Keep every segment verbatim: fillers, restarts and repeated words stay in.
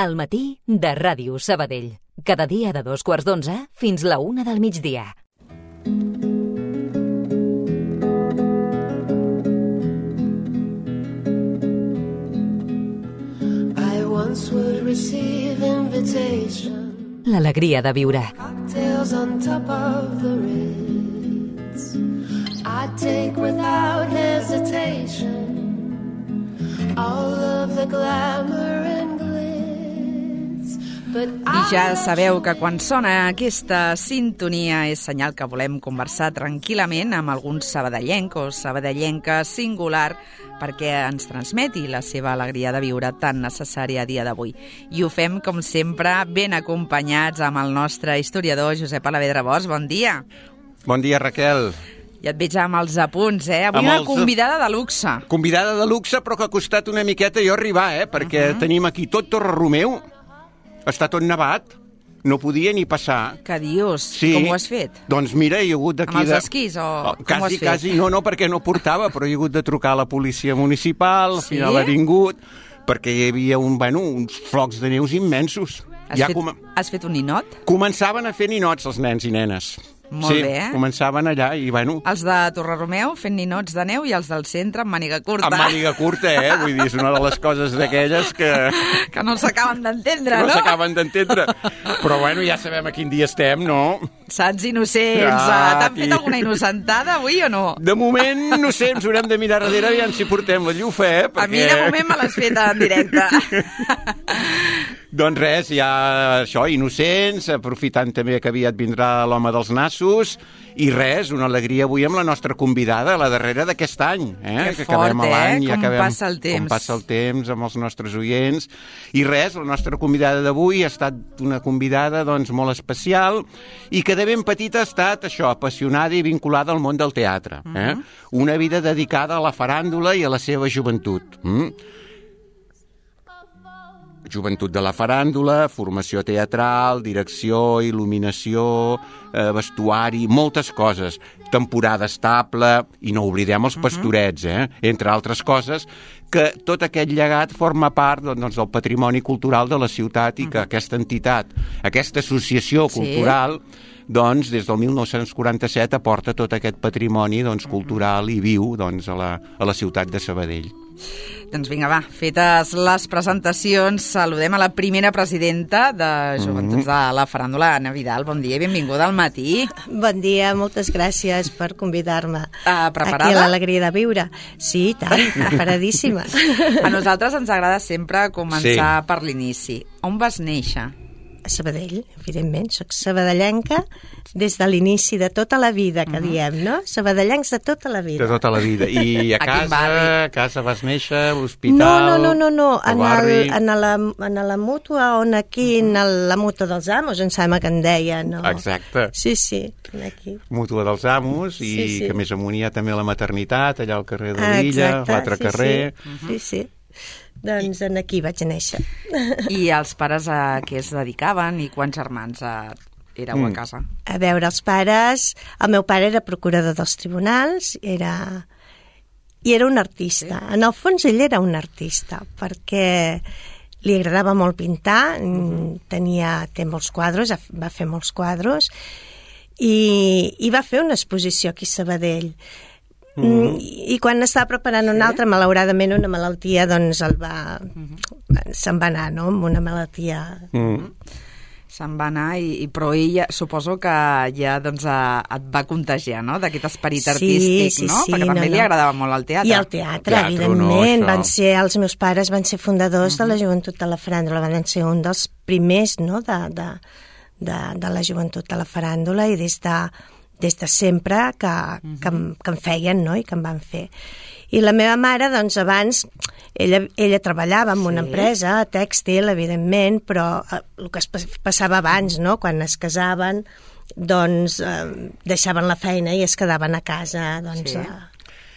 Al matí de Ràdio Sabadell. Cada dia de dos quarts d'onze fins la una del migdia. I once would receive invitation. L'alegria de viure. Cocktails on top of the Ritz. I'd take without hesitation all of the glamour and glitz. But I ja sabeu que quan sona aquesta sintonia és senyal que volem conversar tranquil·lament amb algun sabadellenc o sabadellenca singular perquè ens transmeti la seva alegria de viure tan necessària a dia d'avui. I ho fem, com sempre, ben acompanyats amb el nostre historiador Josep Alavedra Bosch. Bon dia. Bon dia, Raquel. Ja et veig amb els apunts, eh? Avui Amb una els- convidada de luxe. Convidada de luxe, però que ha costat una miqueta jo arribar, eh? Perquè uh-huh. tenim aquí tot Torre Romeu, està tot nevat, no podia ni passar. Què dius? Sí. Com ho has fet? Doncs mira, hi ha hagut d'aquí... Amb els de... esquís o Oh, com quasi, ho has fet? Quasi, no, no, perquè no portava, però hi ha hagut de trucar a la policia municipal, al Sí? final ha vingut, perquè hi havia un, bueno, uns flocs de neus immensos. Has, Ja fet, com... has fet un ninot? Començaven a fer ninots els nens i nenes. Molt sí, bé, eh? començaven allà i, bueno... Els de Torre-Romeu fent ninots de neu i els del centre amb màniga curta. Amb màniga curta, eh? Vull dir, és una de les coses d'aquelles que... Que no s'acaben d'entendre, no no? s'acaben d'entendre. Però, bueno, ja sabem a quin dia estem, no? Sants innocents. Ah, T'han fet aquí. alguna innocentada avui o no? De moment, no sé, ens haurem de mirar darrere aviam si portem la llufa, eh? Perquè... A mi, de moment, me l'has fet en directe. Doncs res, ja això, innocents, aprofitant també que aviat vindrà l'home dels nassos, i res, una alegria avui amb la nostra convidada, la darrera d'aquest any, eh? Que que acabem fort, l'any, eh? i Com acabem, passa el temps. Com passa el temps amb els nostres oients. I res, la nostra convidada d'avui ha estat una convidada doncs, molt especial i que de ben petita ha estat això, apassionada i vinculada al món del teatre. Eh? Mhm. Una vida dedicada a la faràndula i a la seva joventut. Mm? Joventut de la faràndula, formació teatral, direcció, il·luminació, eh, vestuari, moltes coses. Temporada estable, i no oblidem els pastorets, eh? Entre altres coses, que tot aquest llegat forma part doncs, del patrimoni cultural de la ciutat i que aquesta entitat, aquesta associació Sí. cultural, doncs, des del mil nou-cents quaranta-set aporta tot aquest patrimoni doncs, cultural i viu doncs, a, la, a la ciutat de Sabadell. Doncs vinga, va, fetes les presentacions, saludem a la primera presidenta de Joventuts de la Faràndula, Anna Vidal. Bon dia i benvinguda al matí. Bon dia, moltes gràcies per convidar-me. Ah, preparada? Aquí a l'Alegria de Viure. Sí, i tant, preparadíssima. A nosaltres ens agrada sempre començar sí. per l'inici. On vas néixer? A Sabadell, evidentment, soc sabadellenca des de l'inici de tota la vida, que uh-huh. diem, no? Sabadellencs de tota la vida. De tota la vida. I a A quin casa, barri? a casa vas néixer, a l'hospital, No, no, no, no, no. al En, barri... el, en, la, en la mútua, on aquí, en el, la mútua dels amos, em sembla que en deia, no? Exacte. Sí, sí, aquí. Mútua dels Amos, i Sí, sí. que més amunt hi ha també la maternitat, allà al carrer de l'Illa, Exacte, l'altre sí, carrer... Sí, sí, sí. Doncs en aquí vaig néixer. I els pares a què es dedicaven i quants germans eh, éreu a casa? A veure, els pares... El meu pare era procurador dels tribunals, era... i era un artista. En el fons ell era un artista, perquè li agradava molt pintar, uh-huh. tenia, té molts quadros, va fer molts quadros, i, i va fer una exposició aquí a Sabadell. Mm. I quan estava preparant una sí? altra, malauradament una malaltia, doncs el va... Mm-hmm. se'n va anar, no?, amb una malaltia... Mm. Se'n va anar, i, i però ella suposo que ja doncs, a, et va contagiar, no?, d'aquest esperit Sí, artístic, sí, no? sí, Perquè també no, li no. agradava molt el teatre. I el teatre, Teatre, evidentment. no, van això. ser, els meus pares van ser fundadors uh-huh. de la Joventut de la Faràndula, van ser un dels primers, no?, de, de, de, de la Joventut de la Faràndula, i des de, des de sempre que, uh-huh. que, em- que em feien, no?, i que em van fer. I la meva mare, doncs, abans, ella, ella treballava en una Sí. empresa tèxtil, evidentment, però eh, el que es pas- passava abans, no?, quan es casaven, doncs eh, deixaven la feina i es quedaven a casa, doncs, Sí. a,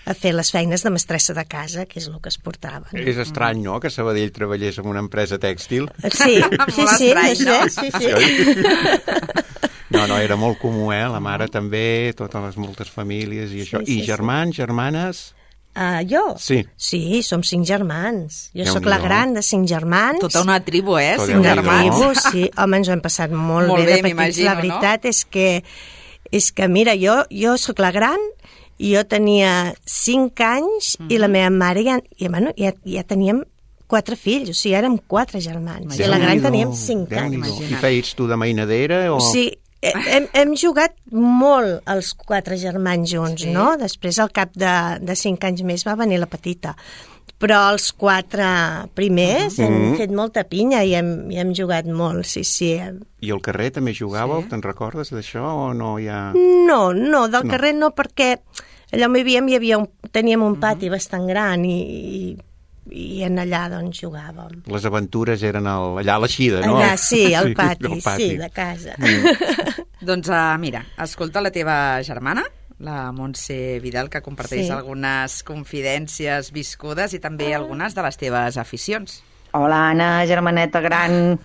a fer les feines de mestressa de casa, que és el que es portaven. És estrany, no?, que Sabadell treballés en una empresa tèxtil. Sí, sí, Molt sí, estrany, no no? sé, sí, sí. No, no, era molt comú, eh? La mare també, totes les moltes famílies i això. Sí, sí, I germans, germanes... Uh, jo? Sí. Sí, som cinc germans. Jo sóc Déu-n'hi-do. la gran de cinc germans. Tota una tribu, eh? Tot Cinc Déu-n'hi-do. germans. Tribu, sí. Home, ens ho hem passat molt, Molt bé, bé, de petits. m'imagino, La veritat és que, és que, mira, jo, jo sóc la gran i jo tenia cinc anys mm -hmm. i la meva mare ja, i, bueno, ja, ja teníem quatre fills, o sigui, érem quatre germans. I la gran Déu-n'hi-do, teníem cinc anys. Déu-n'hi-do. I feies tu de mainadera? O... O sigui, hem, hem jugat molt els quatre germans junts, Sí. no? Després, al cap de, de cinc anys més, va venir la petita. Però els quatre primers uh -huh. hem fet molta pinya i hem, i hem jugat molt, sí, sí. I al carrer també jugàveu? Sí. Te'n recordes d'això o no hi ha... No, no, del No. carrer no, perquè allà on vivíem hi havia un, teníem un pati uh -huh. bastant gran i, i, i en allà doncs jugàvem. Les aventures eren al, allà a l'Eixida, no? Allà, sí, al pati, al sí, de casa. Doncs uh, mira, escolta la teva germana, la Montse Vidal, que comparteix Sí. algunes confidències viscudes i també algunes de les teves aficions. Hola, Anna, germaneta gran,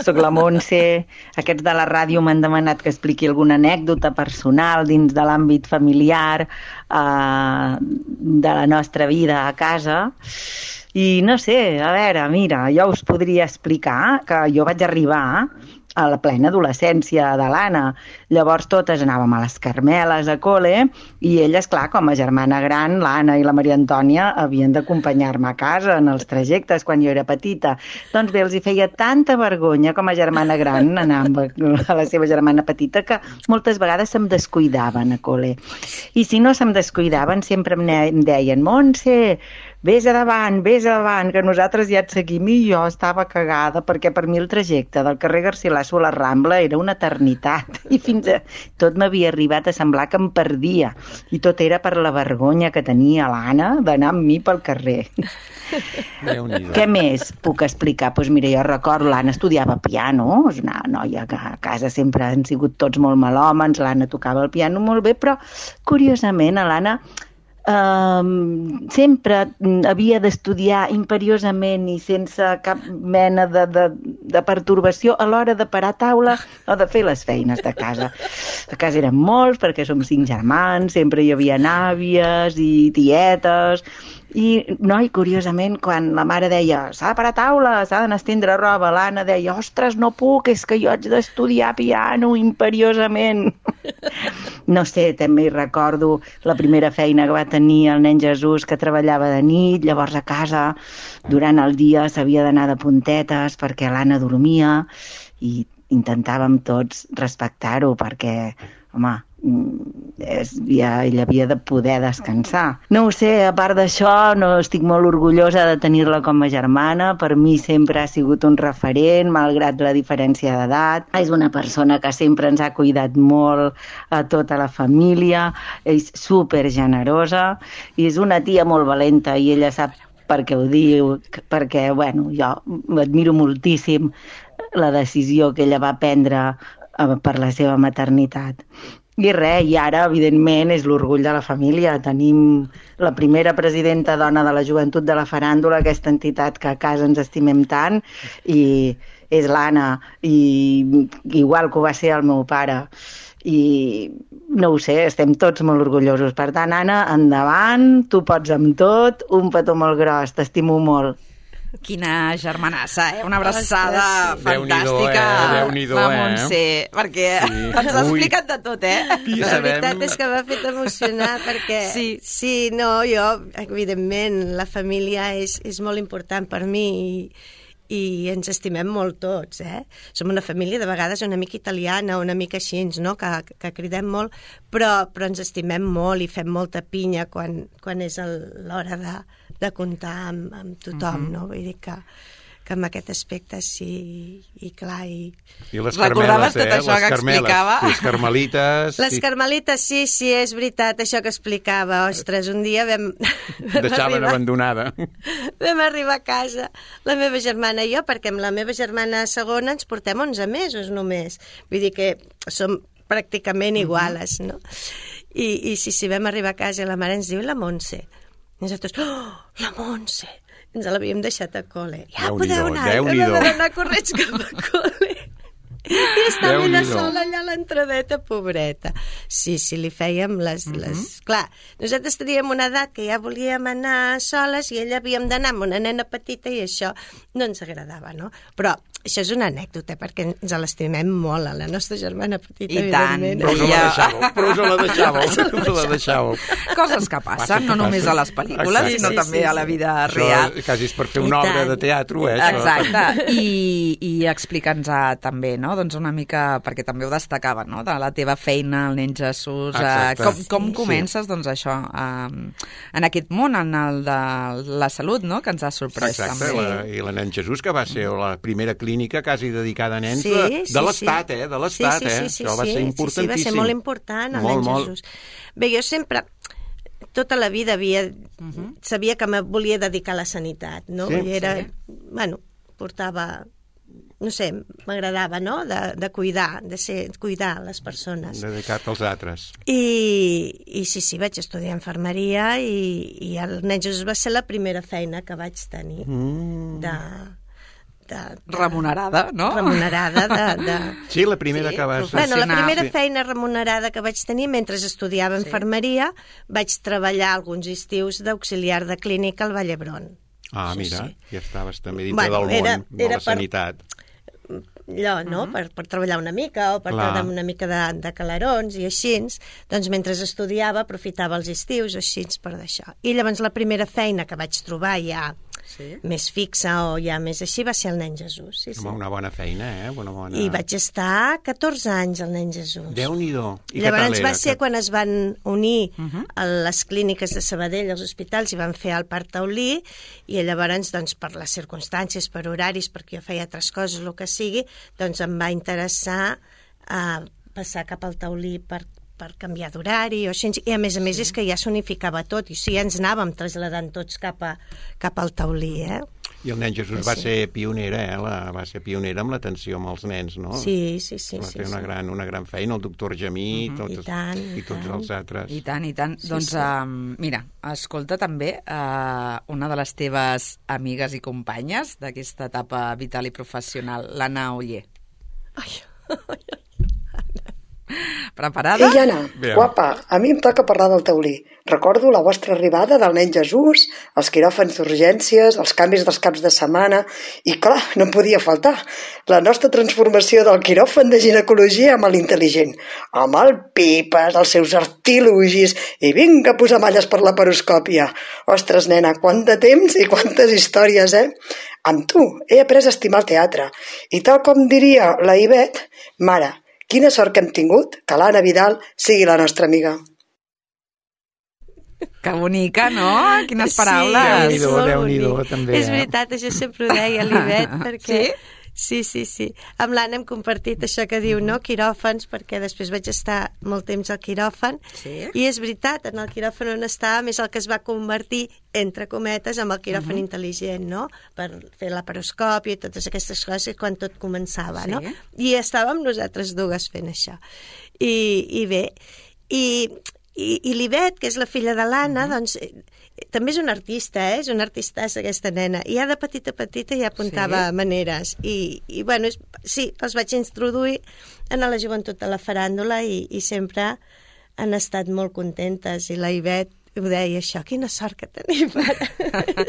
sóc la Montse. Aquests de la ràdio m'han demanat que expliqui alguna anècdota personal dins de l'àmbit familiar eh, de la nostra vida a casa. I no sé, a veure, mira, jo us podria explicar que jo vaig arribar a la plena adolescència de l'Anna. Llavors totes anàvem a les Carmeles a col·le i ella, esclar, com a germana gran, l'Anna i la Maria Antònia havien d'acompanyar-me a casa en els trajectes quan jo era petita. Doncs bé, els hi feia tanta vergonya com a germana gran anar amb a la seva germana petita que moltes vegades se'm descuidaven a col·le. I si no se'm descuidaven sempre em, ne- em deien Montse, vés a davant, vés a davant, que nosaltres ja et seguim. I jo estava cagada perquè per mi el trajecte del carrer Garcilaso a la Rambla era una eternitat i fins a tot m'havia arribat a semblar que em perdia i tot era per la vergonya que tenia l'Anna d'anar amb mi pel carrer. Déu-n'hi-do. Què més puc explicar? Doncs mira, jo recordo, l'Anna estudiava piano, és una noia que a casa sempre han sigut tots molt malhòmens, l'Anna tocava el piano molt bé, però curiosament a l'Anna Um, sempre havia d'estudiar imperiosament i sense cap mena de, de, de pertorbació a l'hora de parar a taula o de fer les feines de casa. A casa érem molts perquè som cinc germans, sempre hi havia àvies i tietes. I, no, i curiosament, quan la mare deia s'ha de parar a taula, s'ha d'anar a estendre roba, l'Anna deia, ostres, no puc, és que jo haig d'estudiar piano imperiosament. No sé, també hi recordo la primera feina que va tenir el nen Jesús, que treballava de nit, llavors a casa, durant el dia s'havia d'anar de puntetes perquè l'Anna dormia i intentàvem tots respectar-ho perquè, home, és, ja, ella havia de poder descansar. No ho sé, a part d'això, no estic molt orgullosa de tenir-la com a germana. Per mi sempre ha sigut un referent, malgrat la diferència d'edat. És una persona que sempre ens ha cuidat molt a tota la família, és super generosa i és una tia molt valenta i ella sap per què ho diu, perquè, bueno, jo admiro moltíssim la decisió que ella va prendre per la seva maternitat. I res, i ara, evidentment, és l'orgull de la família. Tenim la primera presidenta dona de la joventut de la faràndula, aquesta entitat que a casa ens estimem tant, i és l'Anna, i igual que ho va ser el meu pare. I no ho sé, estem tots molt orgullosos. Per tant, Anna, endavant, tu pots amb tot, un petó molt gros, t'estimo molt. Quina germanassa, eh? Una abraçada Ostres, sí. fantàstica, Déu-n'hi-do, eh? la Déu-n'hi-do, eh? Montse, perquè Sí. ens ha Ui. explicat de tot, eh? I La sabem... veritat és que m'ha fet emocionar perquè, Sí. sí, no, jo, evidentment, la família és, és molt important per mi i, i ens estimem molt tots, eh? Som una família de vegades una mica italiana, una mica així, no? que, que cridem molt, però, però ens estimem molt i fem molta pinya quan, quan és el- l'hora de, de comptar amb, amb tothom, Mhm. no? Vull dir que, que en aquest aspecte sí, i clar, i... I les Recordaves Carmeles, eh? tot això les que Carmeles, explicava? Les carmelites... Les sí. carmelites, sí, sí, és veritat, això que explicava. Ostres, un dia vam... vam Deixaven arribar- abandonada. Vam arribar a casa, la meva germana i jo, perquè amb la meva germana segona ens portem onze mesos només. Vull dir que som pràcticament iguales, no? I, i sí, sí, vam arribar a casa i la mare ens diu la Montse. I nosaltres, oh, la Montse! Ens l'havíem deixat a col·le. Ja Déu-n'hi-do, podeu anar. Déu-n'hi-do. Vam haver d'anar corrents cap a col·le. I és estava ella sola allà a l'entradeta, pobreta. Sí, sí, li fèiem les... Uh -huh. les... Clar, nosaltres teníem una edat que ja volíem anar soles i ella havíem d'anar amb una nena petita i això no ens agradava, no? Però això és una anècdota, perquè ens l'estimem molt, a la nostra germana petita, I tant, però us la deixàveu, però us la deixàveu, us la deixàveu. Coses que passen, no només a les pel·lícules, Exacte. sinó sí, també sí, a la sí. vida Això real. quasi és per fer I una obra tant. de teatre, eh? Això. Exacte, i, i explica'ns també, no?, doncs una mica, perquè també ho destacava, no?, de la teva feina, el nen Jesús, eh, com, com Sí, comences, sí. doncs això, eh, en aquest món, en el de la salut, no?, que ens ha sorprès Exacte, també. la, i la Nen Jesús, que va ser la primera clínica quasi dedicada a nens Sí, de, sí, de l'Estat, sí. eh? De l'Estat, sí, sí, eh? sí, Això va sí, ser sí, importantíssim. Sí, va ser molt important, el molt, nen molt. Jesús. Bé, jo sempre, tota la vida havia, uh-huh. sabia que me volia dedicar a la sanitat, no? Sí, I era, sí. bueno, portava, no sé, m'agradava, no?, de, de cuidar, de ser, cuidar les persones. Dedicat als altres. I, i sí, sí, vaig estudiar infermeria i, i el nen Jesús va ser la primera feina que vaig tenir Mm. de... De, de, Remunerada, no? Remunerada de... de Sí, la primera Sí, que vas... Bueno, la professional. primera Sí. feina remunerada que vaig tenir mentre estudiava Sí. infermeria, vaig treballar alguns estius d'auxiliar de clínica al Vall d'Hebron. Ah, Sí, mira, sí. ja estaves també dintre Bueno, del món era- de era la per- sanitat. Allò, no?, uh -huh. per, per treballar una mica o per Clar. treure una mica de, de calarons i així. Doncs mentre estudiava aprofitava els estius així per d'això. I llavors la primera feina que vaig trobar ja Sí. més fixa o ja més així va ser el nen Jesús. Sí, sí. Home, una bona feina, eh? Una bona... I vaig estar catorze anys al nen Jesús. Déu-n'hi-do. I què Llavors tal va era? ser Que- quan es van unir Uh -huh. a les clíniques de Sabadell, als hospitals, i van fer el Parc Taulí, i llavors, doncs, per les circumstàncies, per horaris, perquè jo feia altres coses, el que sigui, doncs em va interessar eh, passar cap al Taulí per per canviar d'horari o així, i a més a més sí. és que ja s'unificava tot, i o sigui, ens anàvem traslladant tots cap, a, cap al Taulí, eh? I el nen Jesús Sí. va ser pionera, eh? La, va ser pionera amb l'atenció amb els nens, no? Sí, sí, sí. Va sí, fer una, sí. gran, una gran feina, el doctor Gemí, uh -huh. tots, I tant, i i tots tant. els altres. I tant, i tant. Sí, doncs, sí. Um, mira, escolta també uh, una de les teves amigues i companyes d'aquesta etapa vital i professional, l'Anna Oller. Ai, Preparada? Ei, Anna, Bé. guapa, a mi em toca parlar del taulí. Recordo la vostra arribada del nen Jesús, els quiròfans d'urgències, els canvis dels caps de setmana i, clar, no em podia faltar, la nostra transformació del quiròfan de ginecologia amb l'intel·ligent, amb el Pipes, els seus artilugis i vinga a posar malles per la paroscòpia. Ostres, nena, quant de temps i quantes històries, eh? Amb tu he après a estimar el teatre i, tal com diria la Ivet, mare, quina sort que hem tingut que l'Anna Vidal sigui la nostra amiga. Que bonica, no? Quines Sí, paraules. és Déu-n'hi-do, molt Déu-n'hi-do, bonic. també, És eh? veritat, això sempre ho deia l'Ivet, perquè... Sí? Sí, sí, sí. Amb l'Anna hem compartit això que diu, no?, quiròfans, perquè després vaig estar molt temps al quiròfan, Sí. i és veritat, en el quiròfan on estàvem és el que es va convertir, entre cometes, amb el quiròfan uh -huh. intel·ligent, no?, per fer la paroscòpia i totes aquestes coses quan tot començava, Sí. no? I estàvem nosaltres dues fent això. I, i bé, i, i, i l'Ivet, que és la filla de l'Anna, uh -huh. doncs eh, també és una artista, eh? És una artistassa aquesta nena, i ja de petita petita ja apuntava Sí. maneres, i, i bueno, és, sí, els vaig introduir en la joventut de la faràndula i, i sempre han estat molt contentes, i la Ivet ho deia això, quina sort que tenim ara.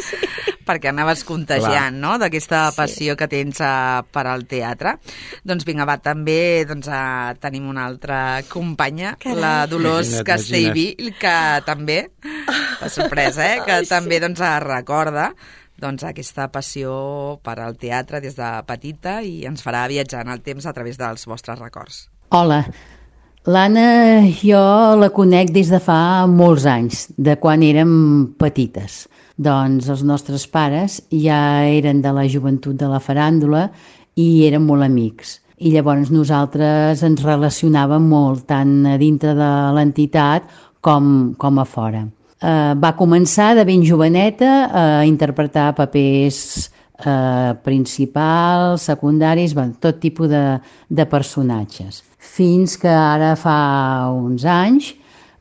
Sí. Perquè anaves contagiant, Clar. no?, d'aquesta Sí. passió que tens uh, per al teatre. Doncs vinga, va, també doncs, uh, tenim una altra companya, Carai. la Dolors Imagina't, Castellví, que també, la sorpresa, eh?, que Ai, sí. també doncs, uh, recorda doncs, aquesta passió per al teatre des de petita i ens farà viatjar en el temps a través dels vostres records. Hola, l'Anna jo la conec des de fa molts anys, de quan érem petites. Doncs els nostres pares ja eren de la joventut de la faràndula i eren molt amics. I llavors nosaltres ens relacionàvem molt, tant a dintre de l'entitat com, com a fora. Eh, va començar de ben joveneta a interpretar papers eh, principals, secundaris, bueno, tot tipus de, de personatges. Fins que ara fa uns anys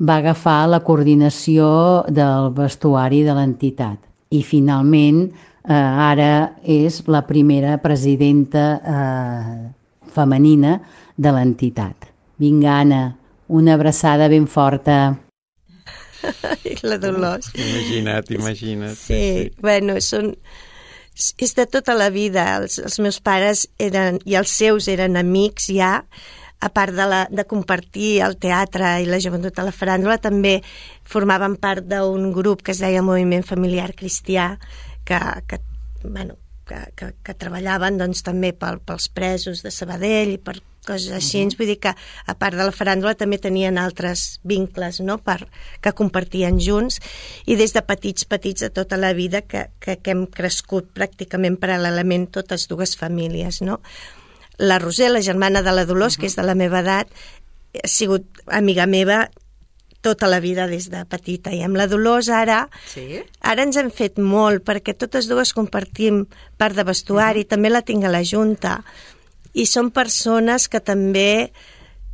va agafar la coordinació del vestuari de l'entitat. I finalment eh, ara és la primera presidenta eh, femenina de l'entitat. Vinga, Anna, una abraçada ben forta. La Dolors. Imagina't, imagina't. Sí, sí. Bueno, són... és de tota la vida. Els, els meus pares eren, i els seus eren amics ja, a part de, la, de compartir el teatre i la joventut a la faràndula, també formaven part d'un grup que es deia Moviment Familiar Cristià, que, que, bueno, que, que, que treballaven doncs, també pel, pels presos de Sabadell i per coses així. Uh-huh. Vull dir que, a part de la faràndula, també tenien altres vincles, no?, per, que compartien junts, i des de petits, petits de tota la vida que, que, que hem crescut pràcticament paral·lelament totes dues famílies, no? La Roser, la germana de la Dolors, uh-huh. que és de la meva edat, ha sigut amiga meva tota la vida des de petita. I amb la Dolors ara, sí? ara ens hem fet molt, perquè totes dues compartim part de vestuari, uh-huh. també la tinc a la Junta, i són persones que també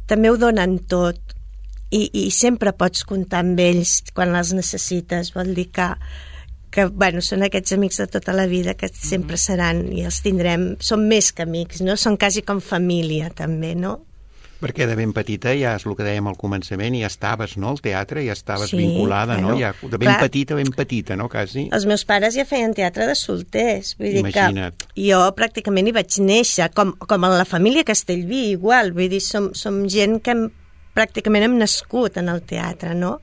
també ho donen tot, i, i sempre pots comptar amb ells quan les necessites. Vol dir que que, bueno, són aquests amics de tota la vida que sempre seran i els tindrem, són més que amics, no? Són quasi com família, també, no? Perquè de ben petita, ja és el que dèiem al començament, ja estaves, no?, al teatre, ja estaves sí, vinculada, bueno, no? Ja, de ben clar, petita, ben petita, no?, quasi. Els meus pares ja feien teatre de solters, vull dir Imagina't. Que jo pràcticament hi vaig néixer, com, com a la família Castellví, igual, vull dir, som, som gent que hem, pràcticament hem nascut en el teatre, no?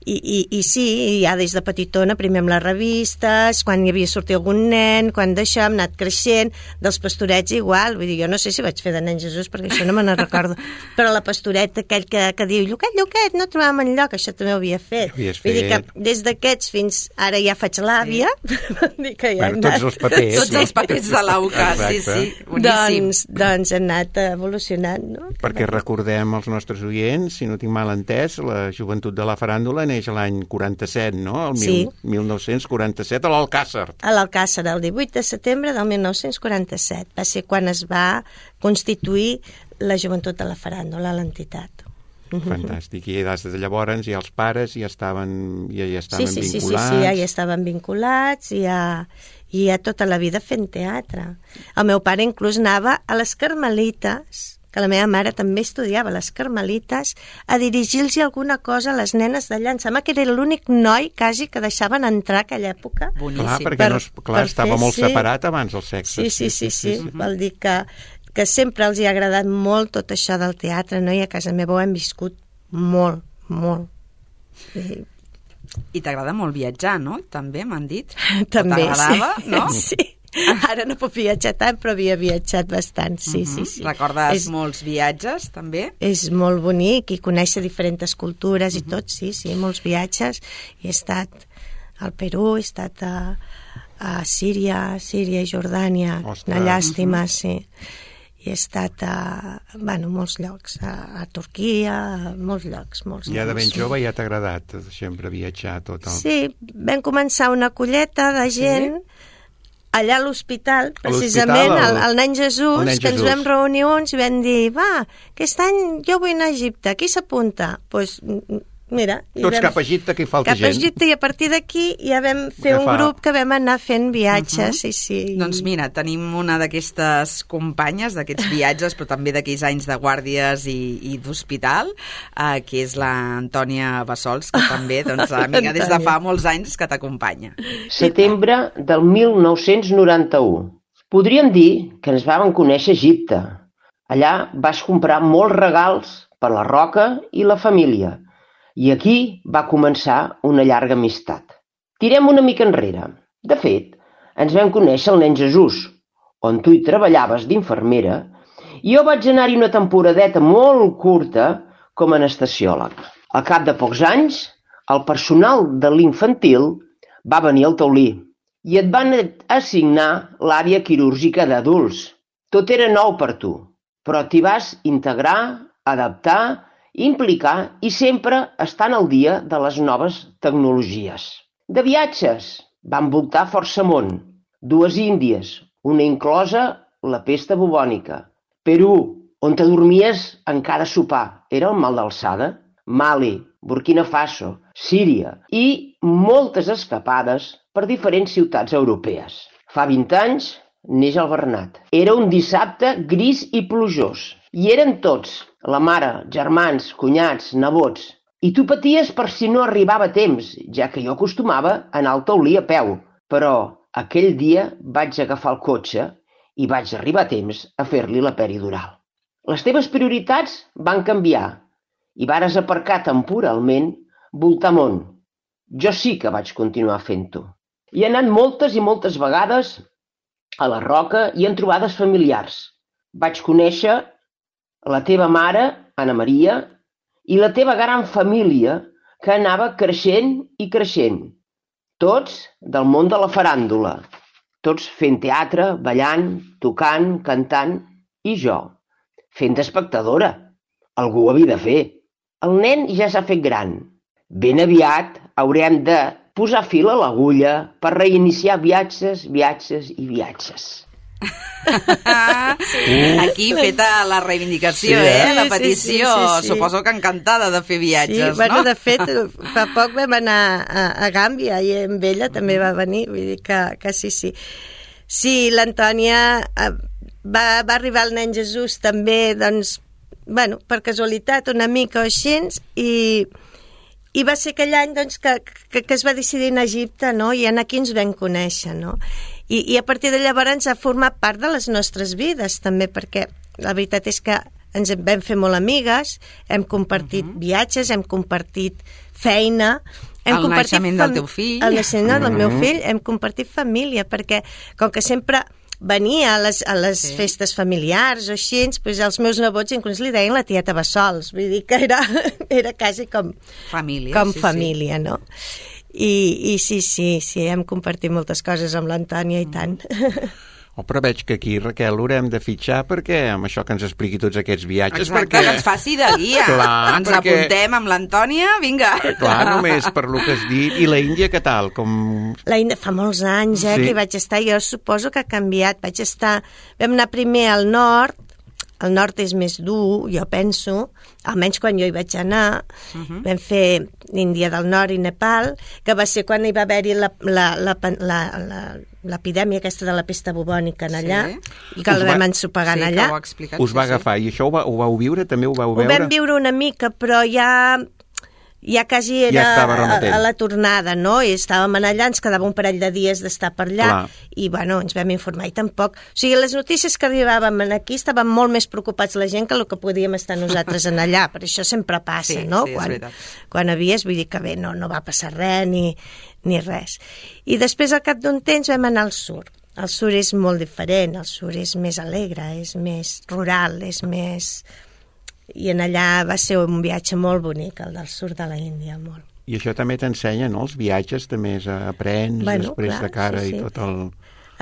I, i, i sí, ja des de petitona, primer amb les revistes, quan hi havia sortit algun nen, quan d'això hem anat creixent, dels pastorets igual, vull dir, jo no sé si vaig fer de nen Jesús, perquè això no me n'en recordo, però la pastoreta aquell que, que diu, Lluquet, Lluquet, no trobàvem enlloc, això també ho havia fet. Ho vull dir que des d'aquests fins ara ja faig l'àvia, sí. dir que ja bueno, tots els papers. Tots els papers de l'Auca, sí, sí, boníssim. Doncs, doncs he anat evolucionant, no? Perquè recordem als nostres oients, si no tinc mal entès, la joventut de la faràndula neix l'any quaranta-set, no? El sí. mil nou-cents quaranta-set, a l'Alcàsser. A l'Alcàsser, el divuit de setembre del mil nou-cents quaranta-set. Va ser quan es va constituir la joventut de la faràndula a l'entitat. Fantàstic. I des de llavors ja els pares ja estaven, ja, ja estaven sí, sí, vinculats. Sí, sí, sí, ja, ja estaven vinculats i ja, i ja tota la vida fent teatre. El meu pare inclús anava a les Carmelites, que la meva mare també estudiava a les Carmelites, a dirigir-los alguna cosa a les nenes d'allà. Em sembla que era l'únic noi quasi que deixaven entrar a aquella època. Boníssim. Clar, perquè per, no, clar, estava fer, molt sí. separat abans el sexe. Sí, sí, sí, sí, sí, sí. Vol dir que, que sempre els hi ha agradat molt tot això del teatre, no? I a casa meva ho hem viscut molt, molt. I, I t'agrada molt viatjar, no? També m'han dit. També, t'agradava, sí. no? Sí. Ara no puc viatjar tant, però havia viatjat bastant, sí, uh-huh. sí, sí. Recordes és, molts viatges, també? És molt bonic i conèixer diferents cultures uh-huh. i tot, sí, sí, molts viatges. I he estat al Perú, he estat a, a Síria, Síria i Jordània, Ostres. Una llàstima, uh-huh. sí. I he estat a, bueno, molts llocs, a, a Turquia, a molts llocs, molts Ja llocs. de ben jove ja t'ha agradat sempre viatjar tot el... Sí, vam començar una colleta de gent... Sí? Allà a l'hospital, precisament, al, al Nen Jesús, el Nen que Jesús. Ens vam reunir uns i vam dir, va, aquest any jo vull anar a Egipte, qui s'apunta? Doncs, pues, mira... Tots vam, cap a Egipte, que hi falta cap gent. Cap a Egipte, i a partir d'aquí ja vam fer un grup que vam anar fent viatges, uh-huh. sí, sí. I... Doncs mira, tenim una d'aquestes companyes, d'aquests viatges, però també d'aquells anys de guàrdies i, i d'hospital, eh, que és l'Antònia Bassols, que també, doncs, amiga des de fa molts anys que t'acompanya. Setembre del mil nou-cents noranta-u. Podríem dir que ens vam conèixer a Egipte. Allà vas comprar molts regals per la Roca i la família. I aquí va començar una llarga amistat. Tirem una mica enrere. De fet, ens vam conèixer al Nen Jesús, on tu hi treballaves d'infermera, i jo vaig anar-hi una temporadeta molt curta com a anestesiòleg. Al cap de pocs anys, el personal de l'infantil va venir al taulí i et van assignar l'àrea quirúrgica d'adults. Tot era nou per tu, però t'hi vas integrar, adaptar, implicar i sempre estant al dia de les noves tecnologies. De viatges van voltar força món, dues Índies, una inclosa la pesta bubònica, Perú, on te dormies en cada sopar, era el mal d'alçada, Mali, Burkina Faso, Síria i moltes escapades per diferents ciutats europees. Fa vint anys neix el Bernat. Era un dissabte gris i plujós. I eren tots, la mare, germans, cunyats, nebots. I tu paties per si no arribava a temps, ja que jo acostumava a anar al taulí a peu. Però aquell dia vaig agafar el cotxe i vaig arribar a temps a fer-li la peridural. Les teves prioritats van canviar i vares aparcar temporalment voltar món. Jo sí que vaig continuar fent-ho. Hi he anat moltes i moltes vegades a la Roca i en trobades familiars. Vaig conèixer la teva mare, Anna Maria, i la teva gran família que anava creixent i creixent. Tots del món de la faràndula. Tots fent teatre, ballant, tocant, cantant, i jo, fent d'espectadora. Algú ho havia de fer. El nen ja s'ha fet gran. Ben aviat haurem de posar fil a l'agulla per reiniciar viatges, viatges i viatges. Aquí feta la reivindicació, sí, eh? La petició. Sí, sí, sí, sí. Suposo que encantada de fer viatges, sí, bueno, no? De fet, fa poc vam anar a, a Gàmbia i amb ella també va venir, vull dir que, que sí, sí. Sí, l'Antònia va, va arribar el nen Jesús també, doncs, bueno, per casualitat, una mica o així, i, i va ser aquell any doncs, que, que, que es va decidir anar a Egipte, no? I aquí ens vam conèixer, no? I, i a partir de llavors ens ha format part de les nostres vides, també, perquè la veritat és que ens vam fer molt amigues, hem compartit uh-huh. viatges, hem compartit feina, hem el naixement del teu fill. El naixement del meu fill, hem compartit família, perquè com que sempre venia a les, a les sí. festes familiars o així, doncs els meus nebots inclús li deien la tieta Bassols, vull dir que era, era quasi com família, com sí, família, sí. No? I, I sí, sí, sí, hem compartit moltes coses amb l'Antònia i tant. Oh, però veig que aquí, Raquel, l'haurem de fitxar perquè amb això que ens expliqui tots aquests viatges... Exacte, perquè... que ens faci de guia. Clar, ens perquè... apuntem amb l'Antònia, vinga. Clar, només per lo que has dit. I la Índia, què tal? Com... La Índia fa molts anys, eh, sí. que hi vaig estar. Jo suposo que ha canviat. Vaig estar... Vam anar primer al nord. El nord és més dur, jo penso, almenys quan jo hi vaig anar. Uh-huh. Vam fer l'Índia del Nord i Nepal, que va ser quan hi va haver-hi la, la, la, la, la, l'epidèmia aquesta de la pesta bubònica en allà, sí. i que us la vam ensopegar sí, allà. Us va agafar, i això ho, va, ho vau viure? També ho vau veure? Ho vam viure una mica, però ja... ja quasi era ja a, a la tornada, no? I estàvem allà, ens quedava un parell de dies d'estar per allà. Clar. I, bueno, ens vam informar i tampoc... O sigui, les notícies que arribàvem aquí estaven molt més preocupats la gent que el que podíem estar nosaltres en allà, per això sempre passa, sí, no? Sí, quan, és veritat. Quan havies, vull dir que bé, no, no va passar res ni, ni res. I després, al cap d'un temps, vam anar al sur. El sur és molt diferent, el sur és més alegre, és més rural, és més... I en allà va ser un viatge molt bonic, el del sud de la Índia, molt. I això també t'ensenya, no? Els viatges també aprens bueno, després clar, de cara sí, sí. i tot el...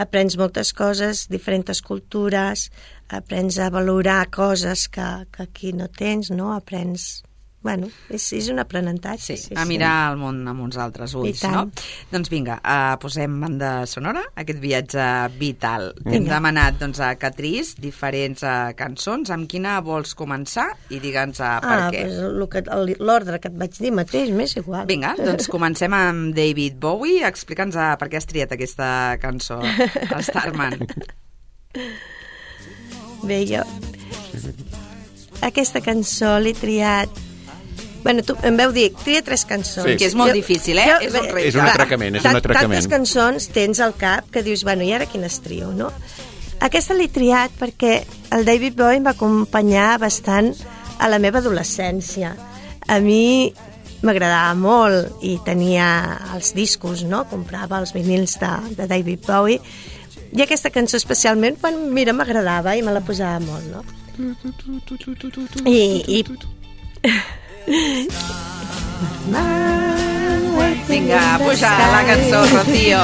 Aprens moltes coses, diferents cultures, aprens a valorar coses que, que aquí no tens, no? Aprens... Bueno, és, és un aprenentatge. Sí, sí, a mirar sí. el món amb uns altres ulls, no? Doncs vinga, uh, posem banda sonora, aquest viatge vital. T'hem demanat doncs, a Catrice diferents uh, cançons. Amb quina vols començar? I digue'ns uh, per ah, què. Pues l'ordre que et vaig dir mateix, m'és igual. Vinga, doncs comencem amb David Bowie. Explica'ns uh, per què has triat aquesta cançó, Starman. Bé, jo... Aquesta cançó l'he triat... Bueno, tu em vau dir, tria tres cançons. Sí. Que és molt jo, difícil, eh? Jo, és un és un atracament, és un atracament. Tantes cançons tens al cap que dius, bueno, i ara quines trio, no? Aquesta l'he triat perquè el David Bowie em va acompanyar bastant a la meva adolescència. A mi m'agradava molt i tenia els discos, no? Comprava els vinils de, de David Bowie i aquesta cançó especialment, quan, mira, m'agradava i me la posava molt, no? I... i... Vinga, puja la cançó, Rocío.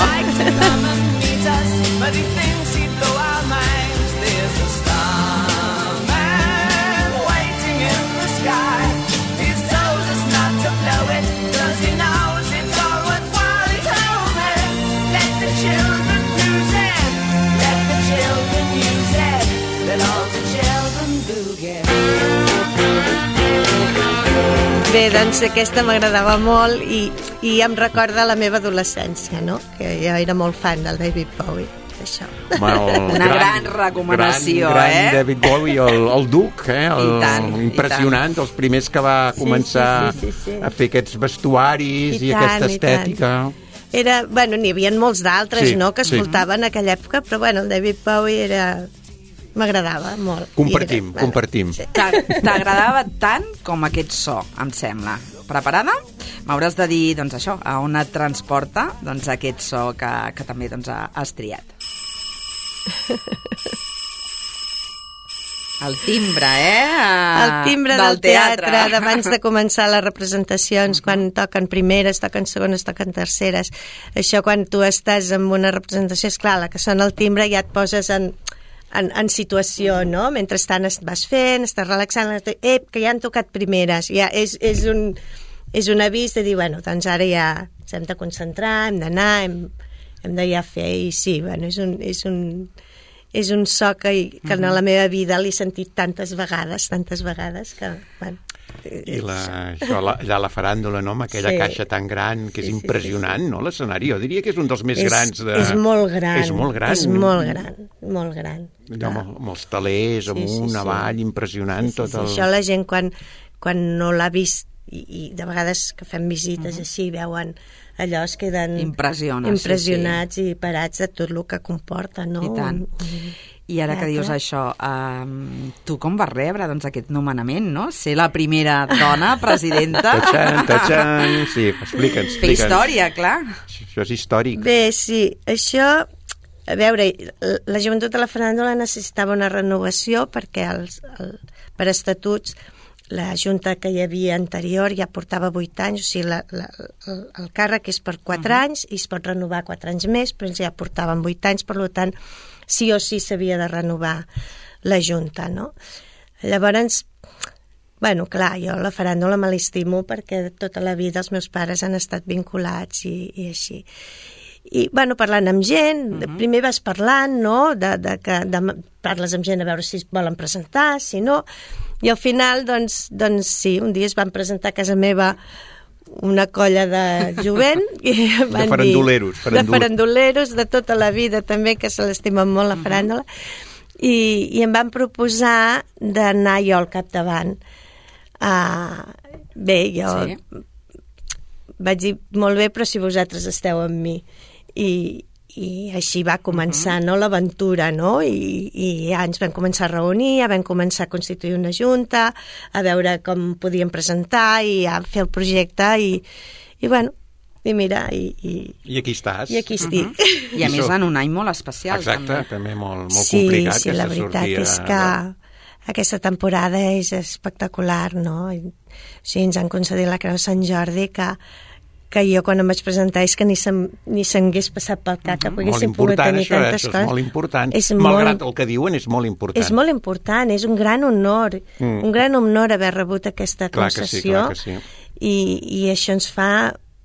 Bé, doncs aquesta m'agradava molt i, i em recorda la meva adolescència, no? Que jo era molt fan del David Bowie. això. Bueno, Una gran, gran recomanació, gran, gran eh? David Bowie, el, el Duc, eh? El, I tant, impressionant, i tant. els primers que va començar sí, sí, sí, sí. a fer aquests vestuaris i, I i tant, aquesta i estètica. Era, bueno, n'hi havia molts d'altres, Sí, no?, que sí. escoltaven en aquella època, però bueno, el David Bowie era... m'agradava molt. Compartim, I era, compartim. Sí. T'a- T'agradava tant com aquest so, em sembla. Preparada? M'hauràs de dir, doncs això, a on et transporta doncs, aquest so que, que també doncs, has triat. El timbre, eh? El timbre del, del teatre, teatre abans de començar les representacions, quan toquen primeres, toquen segones, toquen terceres. Això quan tu estàs en una representació, és clar, la que sona el timbre ja et poses en, en, en situació, no? Mentrestant es vas fent, estàs relaxant, eh, que ja han tocat primeres. Ja és, és, un, és un avís de dir, bueno, doncs ara ja ens hem de concentrar, hem d'anar, hem, hem de ja fer, i sí, bueno, és un... És un és un so que, que en la meva vida l'he sentit tantes vegades, tantes vegades que, bueno... I la, això, la, allà a la faràndula, no?, amb aquella Sí. caixa tan gran, que és Sí, sí, impressionant, sí, sí. no?, l'escenari. Jo diria que és un dels més és, grans de... És molt gran. És molt gran. És molt gran, molt gran. Allò amb, amb els talers, amunt, Sí, sí, sí. avall, impressionant, Sí, sí, tot sí. el... Això la gent quan, quan no l'ha vist i, i de vegades que fem visites uh-huh. així veuen allò, es queden Impressiona, impressionats sí, sí. i parats de tot el que comporta, no? I tant. Un, I ara que teatre. dius això, um, tu com vas rebre doncs, aquest nomenament, no? Ser la primera dona presidenta. Tachan, tachan, sí, explica'ns, Fer explica'ns. història, clar. Això és històric. Bé, sí, això... A veure, la joventut de la faràndula necessitava una renovació perquè els, el, per estatuts la junta que hi havia anterior ja portava vuit anys, o sigui, la, la, el, el càrrec és per quatre uh-huh. anys i es pot renovar quatre anys més, però ells ja portaven vuit anys, per tant, sí o sí s'havia de renovar la junta, no? Llavors, bueno, clar, jo la faràndula me l'estimo perquè tota la vida els meus pares han estat vinculats i, i així. I, bueno, parlant amb gent, uh-huh. primer vas parlant, no?, de, de que de, parles amb gent a veure si es volen presentar, si no, i al final, doncs, doncs sí, un dia es van presentar a casa meva una colla de jovent i van de faranduleros, dir, de faranduleros de tota la vida també, que se l'estimen molt la faràndula, uh-huh. i, i em van proposar d'anar jo al capdavant. Uh, bé, jo sí. vaig dir, molt bé, però si vosaltres esteu amb mi. I, i així va començar, uh-huh. no?, l'aventura, no? I, i ja ens vam començar a reunir, ja vam començar a constituir una junta, a veure com podíem presentar i a fer el projecte i, i bueno, i mira, i, i, I aquí estàs. I aquí estic. Uh-huh. I a I més so... en un any molt especial. Exacte, també, també molt, molt sí, complicat. Sí, la veritat sortida, és que aquesta temporada és espectacular, no? I, sí, ens han concedit la Creu de Sant Jordi que que jo quan em vaig presentar és que ni s'hagués passat pel cap que poguéssim poder tenir això, tantes això coses. És molt important. És Malgrat molt... el que diuen, és molt important. És molt important, és un gran honor, mm. un gran honor haver rebut aquesta clar concessió que sí, clar que sí. I, i això ens fa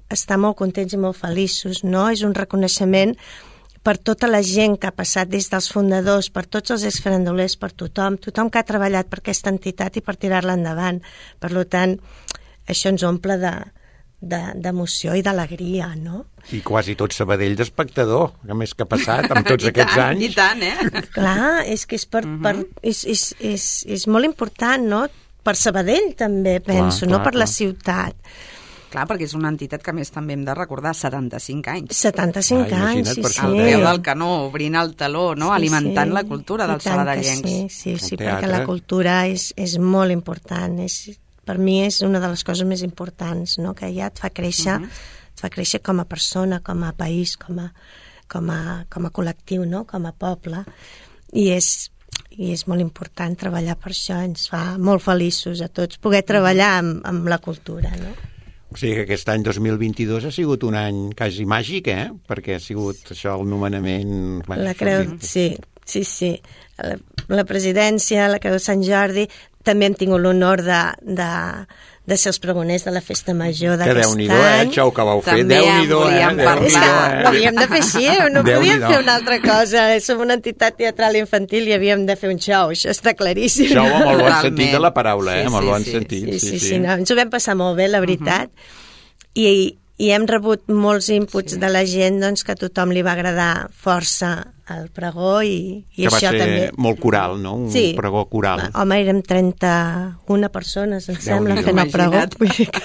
estar molt contents i molt feliços, no? És un reconeixement per tota la gent que ha passat des dels fundadors, per tots els exfarandolers, per tothom, tothom que ha treballat per aquesta entitat i per tirar-la endavant. Per tant, això ens omple de d'emoció i d'alegria, no? I quasi tot Sabadell d'espectador, a més que ha passat amb tots aquests tant, anys. I tant, eh? Clar, és que és, per, uh-huh. per, és, és, és, és molt important, no? Per Sabadell també, penso, clar, no clar, per clar. La ciutat. Clar, perquè és una entitat que a més també hem de recordar, setanta-cinc anys. setanta-cinc ah, anys, sí, sí. Al peu del canó, obrint el taló, no? Sí, alimentant sí. la cultura dels sabadellencs. Sí, sí, sí, perquè la cultura és, és molt important, és... per mi és una de les coses més importants, no? Que ja et fa créixer, uh-huh. et fa créixer com a persona, com a país, com a, com a, com a col·lectiu, no? Com a poble. I és, i és molt important treballar per això, ens fa molt feliços a tots poder treballar amb, amb la cultura, no? O sigui que aquest any dos mil vint-i-dos ha sigut un any quasi màgic, eh? Perquè ha sigut això, el nomenament... Bueno, la creu, sí, sí, sí. La, la presidència, la Creu de Sant Jordi... També hem tingut l'honor de, de, de ser els pregoners de la Festa Major d'aquest any. Que Déu-n'hi-do, eh, Xou, que vau fer. També Déu-n'hi-do, en volíem eh? parlar. És que ho havíem de fer així, no podíem fer una altra cosa. Som una entitat teatral infantil i havíem de fer un xou, això està claríssim. Xou amb el bon sentit de la paraula, eh? Sí, amb el sí, bon sí, sentit. Sí, sí, sí, sí, no, ens ho vam passar molt bé, la veritat. Uh-huh. I, i hem rebut molts inputs sí. de la gent, doncs, que a tothom li va agradar força el pregó i, i que va això ser també. molt coral, no? Un sí. pregó coral. Home, érem trenta-una persones, em sembla, Déu-n'hi-do. fent el pregó. Vull dir que...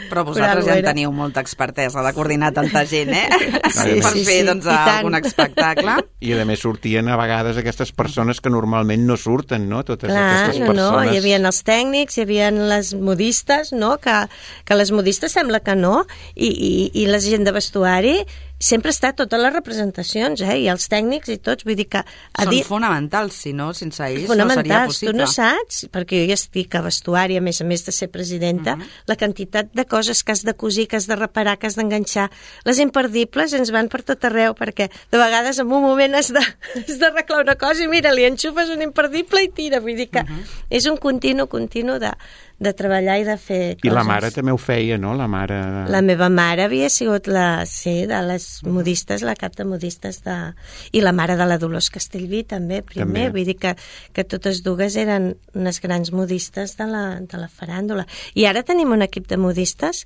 Però vosaltres Però ja en era- teniu molta expertesa de coordinar tanta gent, eh? Sí, per sí, fer, sí. doncs, I tant. algun espectacle. I a més sortien a vegades aquestes persones que normalment no surten, no? Totes Clar, aquestes no, no, persones. hi havia els tècnics, hi havia les modistes, no? que, que les modistes sembla que no, i, i, i la gent de vestuari sempre està a totes les representacions, eh? I els tècnics i tots, vull dir que... A Són dir, fonamentals, si no, sense ells no seria fonamentals, possible. tu no saps, perquè jo ja estic a vestuari, a més a més de ser presidenta, uh -huh. la quantitat de coses que has de cosir, que has de reparar, que has d'enganxar, les imperdibles ens van per tot arreu, perquè de vegades en un moment has de, has d'arreglar una cosa i mira, li enxufes un imperdible i tira, vull dir que uh -huh. és un continu, continu de, de treballar i de fer coses. I la mare també ho feia, no? La mare... La meva mare havia sigut la, sí, de les modistes, la cap de modistes de... I la mare de la Dolors Castellví també, primer. També. Vull dir que, que totes dues eren unes grans modistes de la, de la faràndula. I ara tenim un equip de modistes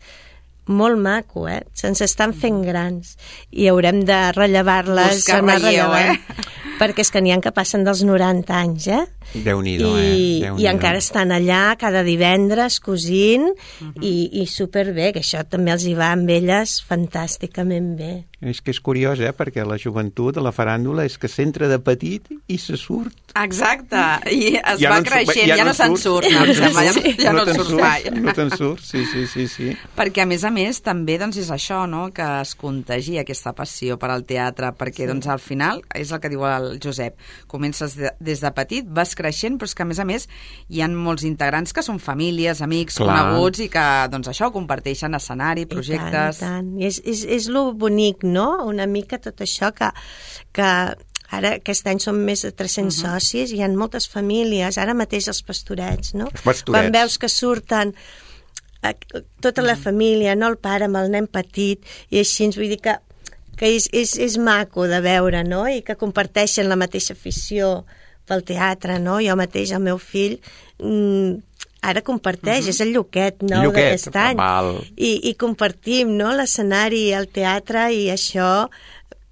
molt maco, eh? Se'ns estan fent grans i haurem de rellevar-les, Buscar anar relleu, rellevant. eh? Perquè és que n'hi ha que passen dels noranta anys, eh? Déu-n'hi-do, I, eh? Déu-n'hi-do. i encara estan allà cada divendres cosint uh -huh. i, i superbé, que això també els hi va amb elles fantàsticament bé. És que és curiós, eh? Perquè la joventut de la faràndula és que s'entra de petit i se surt. Exacte, i es Ja va no en su- creixent, ja ja, no no se'n surts. surt, no, em sembla, ja, no- ja no, te'n surts surts, mai. No te'n surts, sí, sí, sí, sí. Perquè, a més a més, també doncs, és això, no?, que es contagi aquesta passió per al teatre, perquè, doncs, al final, és el que diu el Josep, comences de, des de petit, vas creixent, però és que, a més a més, hi ha molts integrants que són famílies, amics, Clar. coneguts, i que, doncs, això, comparteixen escenari, projectes... I tant, i tant. I és, és, és lo bonic, no?, una mica tot això que... que ara aquest any són més de tres-cents uh -huh. socis, hi ha moltes famílies, ara mateix els pastorets, no? Els pastorets. Quan veus que surten eh, tota la família, no, el pare amb el nen petit, i així ens vull dir que, que és, és, és maco de veure, no? I que comparteixen la mateixa afició pel teatre, no? Jo mateix, el meu fill, mmm, ara comparteix, uh -huh. és el Lluquet nou Lluquet, d'aquest any. val. I, i compartim, no?, l'escenari, el teatre, i això...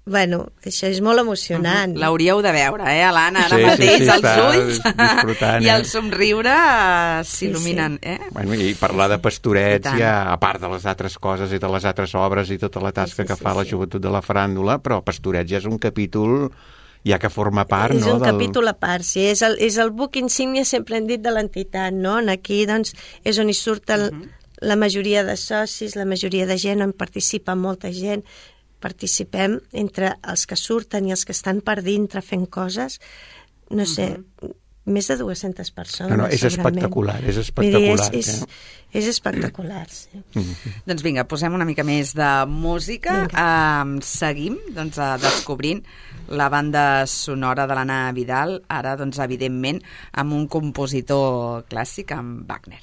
Bueno, això és molt emocionant. Uh -huh. L'hauríeu de veure, eh, l'Anna, ara Sí, sí, mateix, sí, els està ulls disfrutant, i eh? el somriure eh, s'il·luminen, eh? Bueno, i parlar de pastorets, I tant. ja, a part de les altres coses i de les altres obres i tota la tasca Sí, sí, que sí, fa la sí. joventut de la faràndula, però pastorets ja és un capítol ja que forma part, És no? un del... capítol a part, sí. És el, és el buc insígnia, sempre hem dit, de l'entitat, no? Aquí, doncs, és on hi surt el, uh -huh. la majoria de socis, la majoria de gent, on participa molta gent. Participem entre els que surten i els que estan per dintre fent coses, no sé, uh -huh. més de dues-centes persones. No, no, és segurament. espectacular, és Vull espectacular. dir, és, és, eh? és espectacular, sí. Mm -hmm. Doncs vinga, posem una mica més de música. Um, seguim doncs, uh, descobrint la banda sonora de l'Anna Vidal, ara, doncs, evidentment, amb un compositor clàssic, amb Wagner.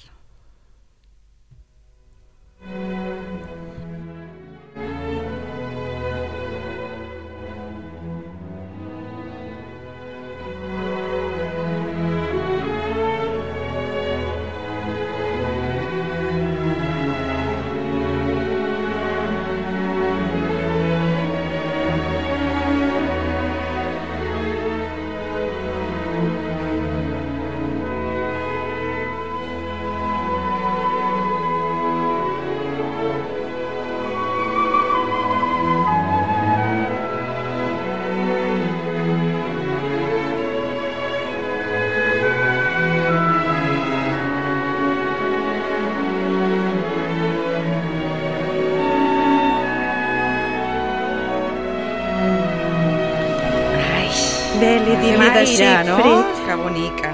Bé, li diria de Aire, no? Siegfried. Que bonica.